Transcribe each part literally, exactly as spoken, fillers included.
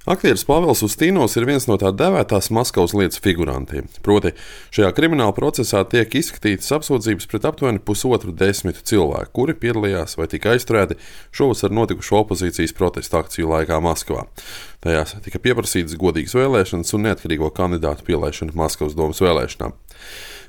Aktieris Pāvils Ustīnovs ir viens no tā dēvētās Maskavas lietas figurantiem. Proti, šajā krimināla procesā tiek izskatītas apsūdzības pret aptuveni pusotru desmitu cilvēku, kuri piedalījās vai tika aizturēti šovasar notikušo opozīcijas protesta akciju laikā Maskavā. Tajās tika pieprasītas godīgas vēlēšanas un neatkarīgo kandidātu pielaišana Maskavas domas vēlēšanām.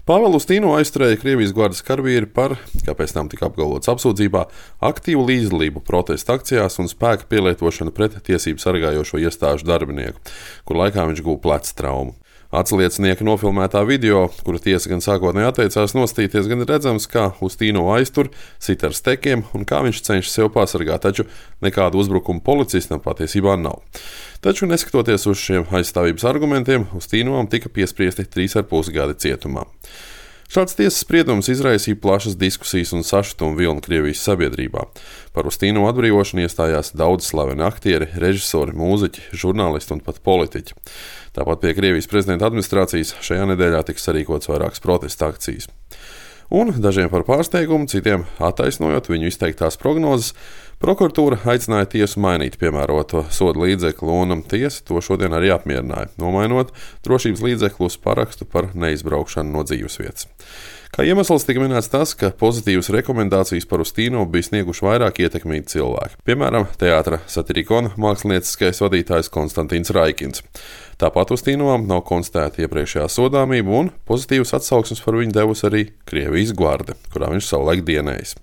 Pāvilu Ustīnovu aizturēja Krievijas gvardas karavīri par, kā pēc tam tika apgalvots apsūdzībā, aktīvu līdzdalību protesta akcijās un spēka pielietošanu pret tiesību sargājošo iestāžu darbinieku, kur laikā viņš guva pleca traumu. Atsliecinieka nofilmētā video, kura tiesa gan sākotnēji atteicās nostīties, gan redzams, kā Ustīnovu aiztur, sit ar stekiem un kā viņš cenšas sev pasargāt, taču nekādu uzbrukumu policistam patiesībā nav. Taču, neskatoties uz šiem aizstāvības argumentiem, Ustīnovam tika piespriesti trīs ar pus gadi cietumā. Šāds tiesas spriedums izraisīja plašas diskusijas un sašutumu vilni Krievijas sabiedrībā. Par Ustīnovu atbrīvošanu iestājās daudz slaveni aktieri, režisori, mūziķi, žurnālisti un pat politiķi. Tāpat pie Krievijas prezidenta administrācijas šajā nedēļā tiks sarīkots vairākas protesta akcijas. Un dažiem par pārsteigumu, citiem attaisnojot viņu izteiktās prognozes, prokuratūra aicināja tiesu mainīt piemēroto soda līdzekli, un tiesa to šodien arī apmierināja, nomainot drošības līdzekli uz parakstu par neizbraukšanu no dzīvesvietas. Kā iemesls tika minēts tas, ka pozitīvas rekomendācijas par Ustīnovu bija snieguši vairāk ietekmīgi cilvēki. Piemēram, teātra Satirikona mākslinieckais vadītājs Konstantīns Raikins. Tāpat Ustīnovam nav konstatēta iepriekšējā sodāmība, un pozitīvas atsauksmes par viņu devusi arī Krievijas gvarde, kurā viņš savulaik dienējis.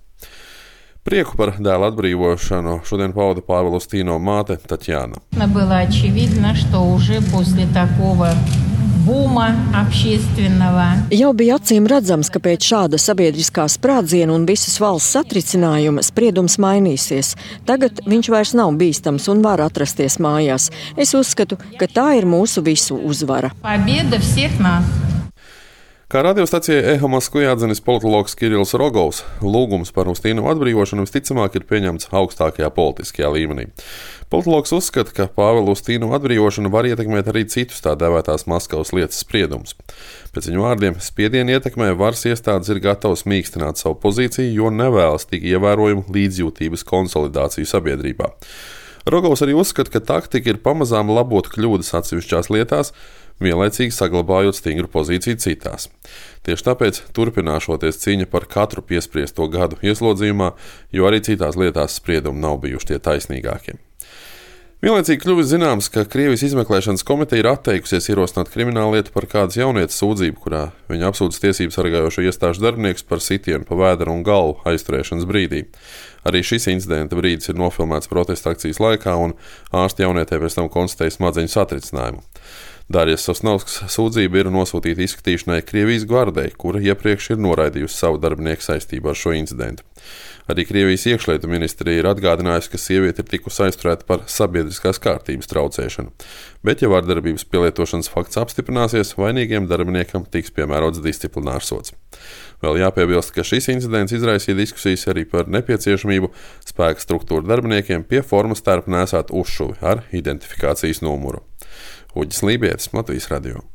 Prieku par dēla atbrīvošanu šodien pauda Pāvila Ustīnova māte Tatjana. Jau bija acīm redzams, ka pēc šāda sabiedriskā sprādziena un visas valsts satricinājuma spriedums mainīsies. Tagad viņš vairs nav bīstams un var atrasties mājās. Es uzskatu, ka tā ir mūsu visu uzvara. Kā radiostacijai Eho Moskvā atzinis politologs Kirills Rogovs, lūgums par Ustīnovu atbrīvošanu visticamāk ir pieņemts augstākajā politiskajā līmenī. Politologs uzskata, ka Pāvila Ustīnova atbrīvošana var ietekmēt arī citus tā dēvētās Maskavas lietas spriedumus. Pēc viņu vārdiem, spiedienu ietekmē varas iestādes ir gatavas mīkstināt savu pozīciju, jo nevēlas tik ievērojumu līdzjūtības konsolidāciju sabiedrībā. Rogovs arī uzskata, ka taktika ir pamazām labot kļūdas atsevišķās lietās, vienlaicīgi saglabājot stingru pozīciju citās. Tieši tāpēc turpināšoties cīņa par katru piespriesto gadu ieslodzījumā, jo arī citās lietās spriedumi nav bijuši tie taisnīgākie. Vienlaicīgi kļuvis zināms, ka Krievijas izmeklēšanas komiteja ir atteikusies ierosināt kriminālu lietu par kādas jaunietes sūdzību, kurā viņa apsūdz tiesību sargājošo iestāžu darbiniekus par sitienu pa vēderu un galvu aizturēšanas brīdī. Arī šis incidenta brīdis ir nofilmēts protesta akcijas laikā, un ārsti jaunietē pēc tam konstatēja smadzeņu satricinājumu. Darijas Sosnovskas sūdzība ir nosūtīta izskatīšanai Krievijas gvardei, kura iepriekš ir noraidījusi savu darbinieku saistībā ar šo incidentu. Arī Krievijas iekšlietu ministrija ir atgādinājusi, ka sieviete ir tikusi aizturēta par sabiedriskās kārtības traucēšanu. Bet, ja vardarbības pielietošanas fakts apstiprināsies, vainīgiem darbiniekam tiks piemērots disciplinārs sods. Vēl jāpiebilst, ka šis incidents izraisīja diskusijas arī par nepieciešamību spēka struktūru darbiniekiem pie formas tērpa nēsāt uzšuvi ar identifikācijas numuru. Uģis Lībietis, Latvijas radio.